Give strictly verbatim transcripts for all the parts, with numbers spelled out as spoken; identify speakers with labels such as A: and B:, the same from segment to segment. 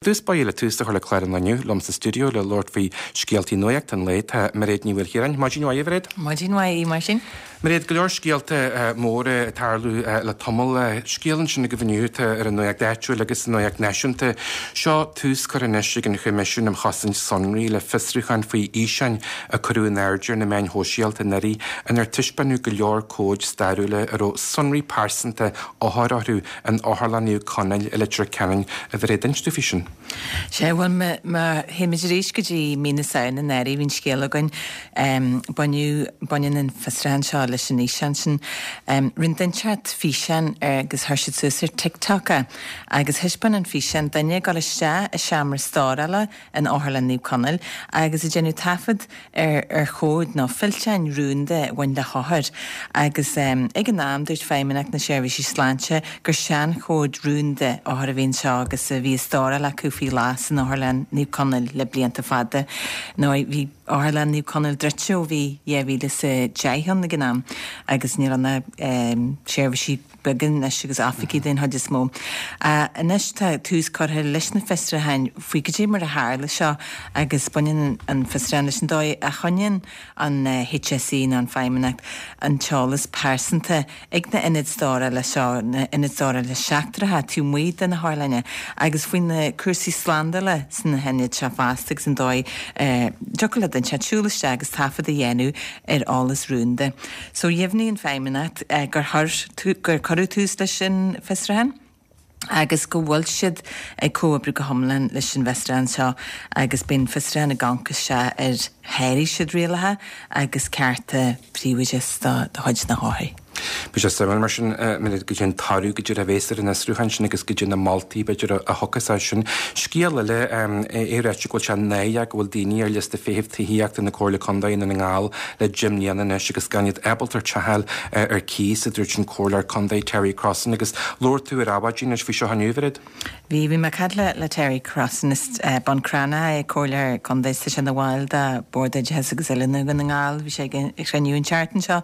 A: Dtús báire le tús a chur le clár an lae inniu liom sa stiúideo le labhairt faoi scéaltaí nuachta an lae tá Mairéad Ní Mhaoilchiaráin. Maidin mhaith, a Mhairéad?
B: Maidin mhaith mar sin.
A: Mairéad, go leor scéalta móra ag tarlú le tamall. Scéal ansin agaibh inniu atá ar an nuacht áitiúil agus an nuacht náisiúnta. Seo tús curtha anois ag an Choimisiún um Chosaint Sonraí le fiosrúchán faoi fhíseáin a cuireadh in airde ar na meáin shóisialta anuraidh inar taispeánadh go leor comhaid stairiúla a raibh sonraí pearsanta othar orthu in Otharlann Naomh Conaill i Leitir Ceanainn. A Mhairéad, inis dúinn faoi sin.
B: Sé bhuel má théimid arís go dtí mí na Samhna anuraidh bhí an scéal againn baineadh baineann an fiosrúchán seo leis an fhíseán sin. Rinne duine inteacht físeán agus chuir siad suas ar TikTok é agus thaispeáin an físeán duine ag dul isteach i seomra stórála in Otharlann Naomh Conaill agus ag déanamh taifead ar ar chomhaid nó fillteáin rúnda a bhain le hothair agus ag an am dúirt Feidhmeannacht na Seirbhísí Sláinte gur seanchomhaid rúnda othar a bhí anseo agus a bhí á stóráil acu faoi ghlas san Otharlann Naomh Conaill le blianta fada. Nó bhí Otharlann Naomh Conaill druidte ó bhí dhá mhíle is a deich ann ag an am agus níl ann ach seirbhísí beaga anois agus oifigí den chuid is mó. Anois tá tús curtha leis na fiosrúcháin faoi cad é mar a tharla seo agus baineann an fiosrúchán leis an dóigh a choinníonn an HSE nó an Feidhmeannacht an t-eolas pearsanta ag na ionaid stórála seo, na ionaid stórála seachtracha taobh amuigh de na hotharlanna agus faoi na cúrsaí slándála sna hionaid seo fosta agus an dóigh a dtiocfadh le duine inteacht siúl isteach agus taifead a dhéanamh ar eolas rúnda. So dheimhnigh an Feidhmeannacht gur chuir gur cuireadh tús leis an bhfiosrúchán agus go bhfuil siad ag comhoibriú go hiomlán leis an bhfiosrúchán seo agus beidh an fiosrúchán ag amharc isteach ar sháraigh siad rialacha agus cearta príobháideachais de chuid na hothair.
A: Beidh sé suimiúil mar sin goidé an toradh goidé a bheas ar an fhiosrúchán sin agus goidé na moltaí b'fhéidir a thiocfas as sin. Scéal eile é ráite go bhfuil sé náireach go bhfuil daoine ar liosta feithimh tithíochta na Comhairle Contae i nDún na nGall le deich mbliana anois agus gan iad ábalta teach a fháil ar cíos a dúirt an Comhairleoir Contae Terry Crossan agus labhair tú ar Adhmhaidin anois faoi seo inniu, a Mhairéad.
B: Bhí bhí mé ag caint le le Terry Crossan is Bun Cranncha é Comhairleoir Contae is tá sé ina bhall de Bord Oideachais agus Oiliúna Dhún na nGall, bhí sé ag an chruinniú an tseachtain seo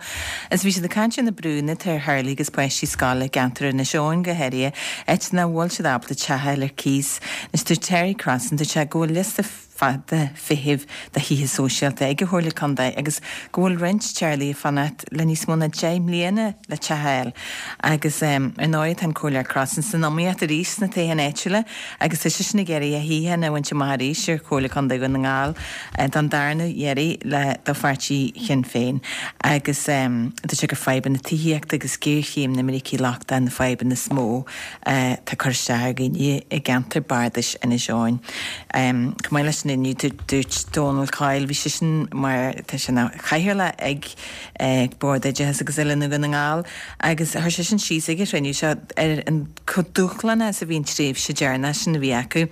B: is bhí siad ag caint ar na brúnna atá ar theaghlaigh agus páistí scoile i gceantar Inis Eoghain go háirithe, áit nach bhfuil siad ábalta teach a fháil ar cíos. Anois dúirt Terry Crossan, dúirt sé go bhfuil liosta fada feithimh do thithe sóisialta ag an Chomhairle Contae agus go bhfuil roinnt teaghlaigh ag fanacht le níos mó ná deich mbliana le teach a fháil. Agus ar ndóigh tá an Comhairleoir Crossan san iomaíocht arís sna toghcháin áitiúla agus tá seisean ag iarraidh a shuíochán a bhaint amach arís ar Chomhairle Contae Dhún na nGall don darna iarraidh le do pháirtí Shinn Féin. Agus dúirt sé gur fadhbanna tithíochta agus géarchéim na imirce lochtach na fadhbanna is mó atá ag cur isteach ar dhaoine i gceantar bardais Inis Eoghain. Chomh maith leis sin inniu dúirt Dónal Coyle, bhí seisean mar tá sé ina chathaoirleach ag Bord Oideachais agus Oiliúna Dhún na nGall agus chuir seisean síos ag an chruinniú seo ar an chomh dúshlánach is a bhí an tréimhse deireanach sin a bhí acu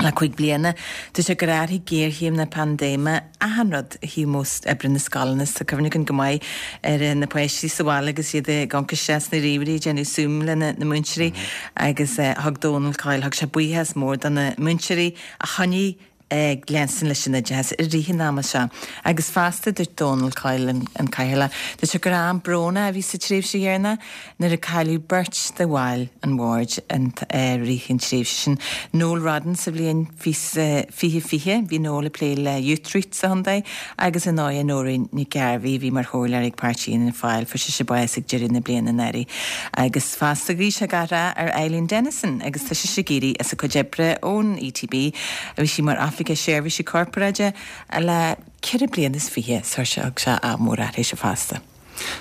B: le cúig bliana. Dúirt sé gur athraigh géarchéim na paindéime achan rud ó thaobh modh oibre na scoileanna. Tá cuimhne againn go maith ar na páistí sa bhaile agus iad ag amharc isteach sna ríomhairí ag déanamh Zoom lena na múinteoirí agus thug Dónal Coyle, thug sé buíochas mór do na múinteoirí a choinnigh ag leanstan leis an oideachas i rith an ama seo. Agus fosta, dúirt Dónal Coyle, an Cathaoirleach, dúirt sé gur am brónach a bhí sa tréimhse dheireanach nuair a cailleadh beirt de bhaill an bhoird i rith an tréimhse sin. Noel Rodden sa bhliain fiche fiche, bhí Noel ag plé le Youthreach sa chontae agus ar ndóigh Nóirín Nic Gairbhí a bhí mar chomhairleoir ag Páirtí Fhianna Fáil, fuair sise bás ag deireadh na bliana anuraidh. Agus fosta ghuigh sé gach rath ar Eileen Dennison agus tá sise ag éirí as a cuid oibre ón ETB, bhí sí mar Oifigeach Seirbhísí Corparáide le ceithre bliana is fiche, so thug sé ádh mór uirthise fosta.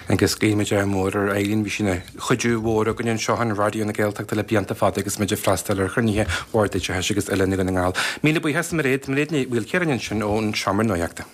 A: Agus guímid ádh mór ar Eileen, bhí sí ina chuidiú mhór againn anseo in Raidió na Gaeltachta le blianta fada agus muid ag freastal ar chruinnithe Bhord Oideachais agus Oiliúna Dhún na nGall. Míle buíochas Mairéad, Mairéad Ní Mhaoilchiaráin ansin ón Seomra Nuachta.